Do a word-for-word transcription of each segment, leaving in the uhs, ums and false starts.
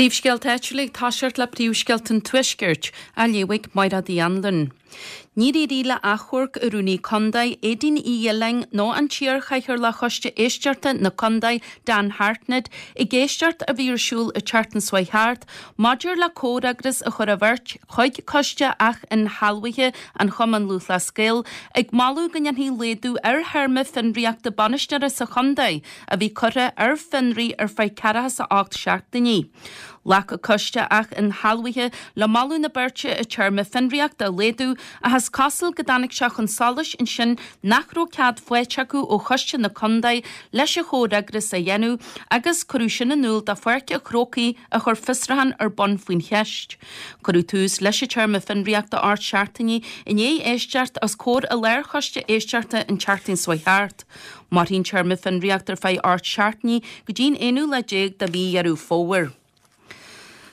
Príomhscéalta áitiúla ag toiseacht le príomhscéalta an Tuaiscirt, á léamh ag Máire Uí Anluain. Níor éirigh le achomharc an Rúnaí Contae, Aedín Uí Ghiolláin nó an t-iarchathaoirleach Choiste Éisteachta na Contae, Dan Hartnett, ag éisteacht a bhí ar siúl an tseachtain seo thart maidir le comhfhreagras a chur an bheirt chuig Coiste Ath-Inshealbhaithe an Chumann Lúthchleas Gael ag moladh go ndéanfaí laghdú ar théarma fionraíochta bainisteora sa chontae a bhí curtha ar fionraí ar feadh ceathracha is a ocht seachtainí. Ghlac an Coiste Ath-Inshealbhaithe le moladh na beirte an téarma fionraíochta a laghdú ach is cosúil go dtáinig sé chun solais ansin nach raibh cead faighte acu ó Choiste na Contae leis an chomhfhreagras a dhéanamh agus cuireadh sin in iúl do Pháirc an Chrócaigh a chuir fiosrúchán ar bun faoin cheist. Cuireadh tús leis an téarma fionraíochta ocht seachtainí i ndiaidh éisteacht os comhair an Lárchoiste Éisteachta an tseachtain seo thart. Mairfidh an téarma fionraíochta ar feadh ocht seachtainí go dtí'n aonú lá déag de mhí Dheireadh Fómhair.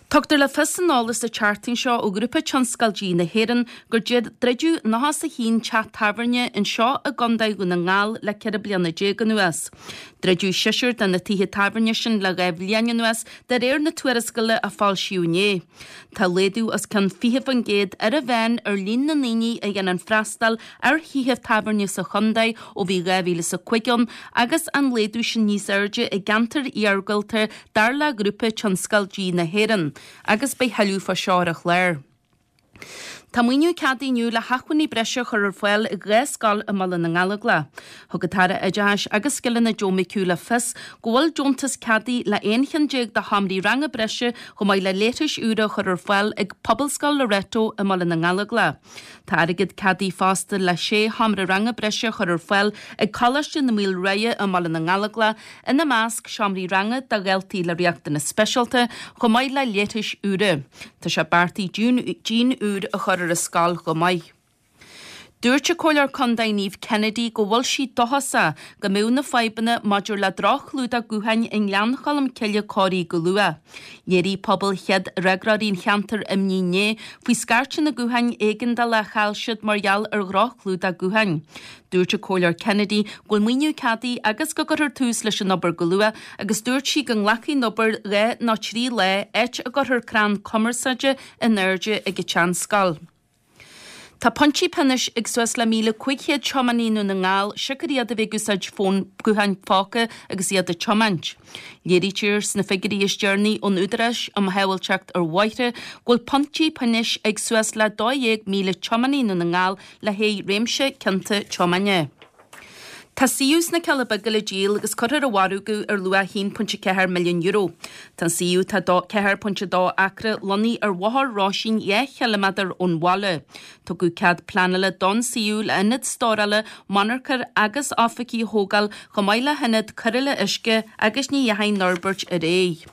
Tugtar le fios san eolas an tseachtain seo ó Ghrúpa Tionscail Dí na hÉireann gur druideadh nócha is a haon teach tábhairne anseo i gContae Dhún na nGall le ceithre bliana déag anuas. Druideadh seisear de na tithe tábhairne sin le dhá bhliain anuas de réir na tuarascála a foilsíodh inné. Tá laghdú os cionn fiche faoin gcéad ar an mheán ar líon na ndaoine a dhéanann freastal ar thithe tábhairne sa chontae ó bhí dhá mhíle is a cúig ann agus an laghdú sin níos airde i gceantair iargúlta dar le Grúpa Tionscail Dí na hÉireann. Agus beidh tuilleadh fá seo ar an chlár. Tá maoiniú ceadaithe inniu le hacmhainní breise a chur ar fáil ag dhá scoil i mBaile na nGallóglach. Thug an tAire Oideachais agus Scileanna Joe McHugh le fios go bhfuil deontas ceadaithe le aon cheann déag de sheomraí ranga breise chomh maith le leithris úra a chur ar fáil ag Pobalscoil Loreto i mBaile na nGallóglach. Tá airgead ceadaithe fosta le sé sheomra ranga breise a chur ar fáil ag Coláiste na Maoilriabhair i mBaile na nGallóglach, ina measc seomraí ranga do dhaltaí le riachtanais speisialta chomh maith le leithris úra. Tá sé beartaithe díon úr a chur ar an scoil chomh maith. Dúirt an Comhairleoir Contae Niamh Kennedy go bhfuil sí dóchasach go mbeidh na fadhbanna maidir le droch-chlúdach gutháin i nGleann Cholm Cille cóirithe go luath. Léirigh pobal chéad fhreagróirí an cheantair imní inné faoi scairteanna gutháin éigeandála a chaill siad mar gheall ar dhroch-chlúdach gutháin. Dúirt an Comhairleoir Kennedy go bhfuil maoiniú ceadaithe agus go gcuirfear tús leis an obair go luath agus dúirt sí go nglacfaidh an obair dhá nó trí lá áit a gcuirfear crann cumarsáide in airde ag an tseanscoil. Tá pointí pionóis ag suas le míle cúig chéad tiománaí i nDún na nGall siocair iad a bheith ag úsáid fón gutháin phóca agus iad ag tiomáint. Léirítear sna figiúirí is deireanaí ón Údarás um Shábháilteacht ar Bhóithre go bhfuil pointí pionóis ag suas le dó dhéag míle tiománaí i nDún na nGall le haghaidh réimse cionta tiomána. Tá suíomh sna Cealla Beaga le díol agus cuirfear ar mhargadh ar luach a haon pointe ceathair milliún euro. Tá an suíomh atá dó ceathair pointe dó acra lonnaithe ar Bhóthar Róisín dhá chiliméadar ón bhaile. Tugadh cead pleanála don suíomh le ionad stórála, monarcha agus oifigí a thógáil chomh maith le hionad cóireála uisce agus ní dheachaigh an fhorbairt ar aghaidh.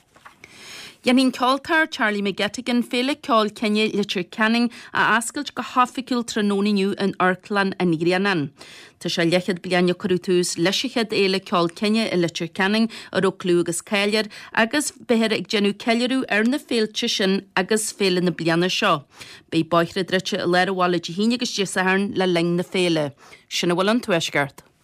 Dhéanfaidh an ceoltóir Charlie McGettigan Féile Ceoil Cine Leitir Ceanainn a oscailt go hoifigiúil tráthnóna inniu in Amharclann an Ghrianáin. Tá sé leathchéad bliain ó cuireadh tús leis an chéad Fhéile Ceoil Cine i Leitir Ceanainn a raibh clú agus cáil air agus beifear ag déanamh ceiliúradh ar na féilte sin agus féile na bliana seo. Beidh bóithre druidte i lár an bhaile Dé hAoine agus Dé Sathairn le linn na féile. Sin a bhfuil ón Tuaisceart.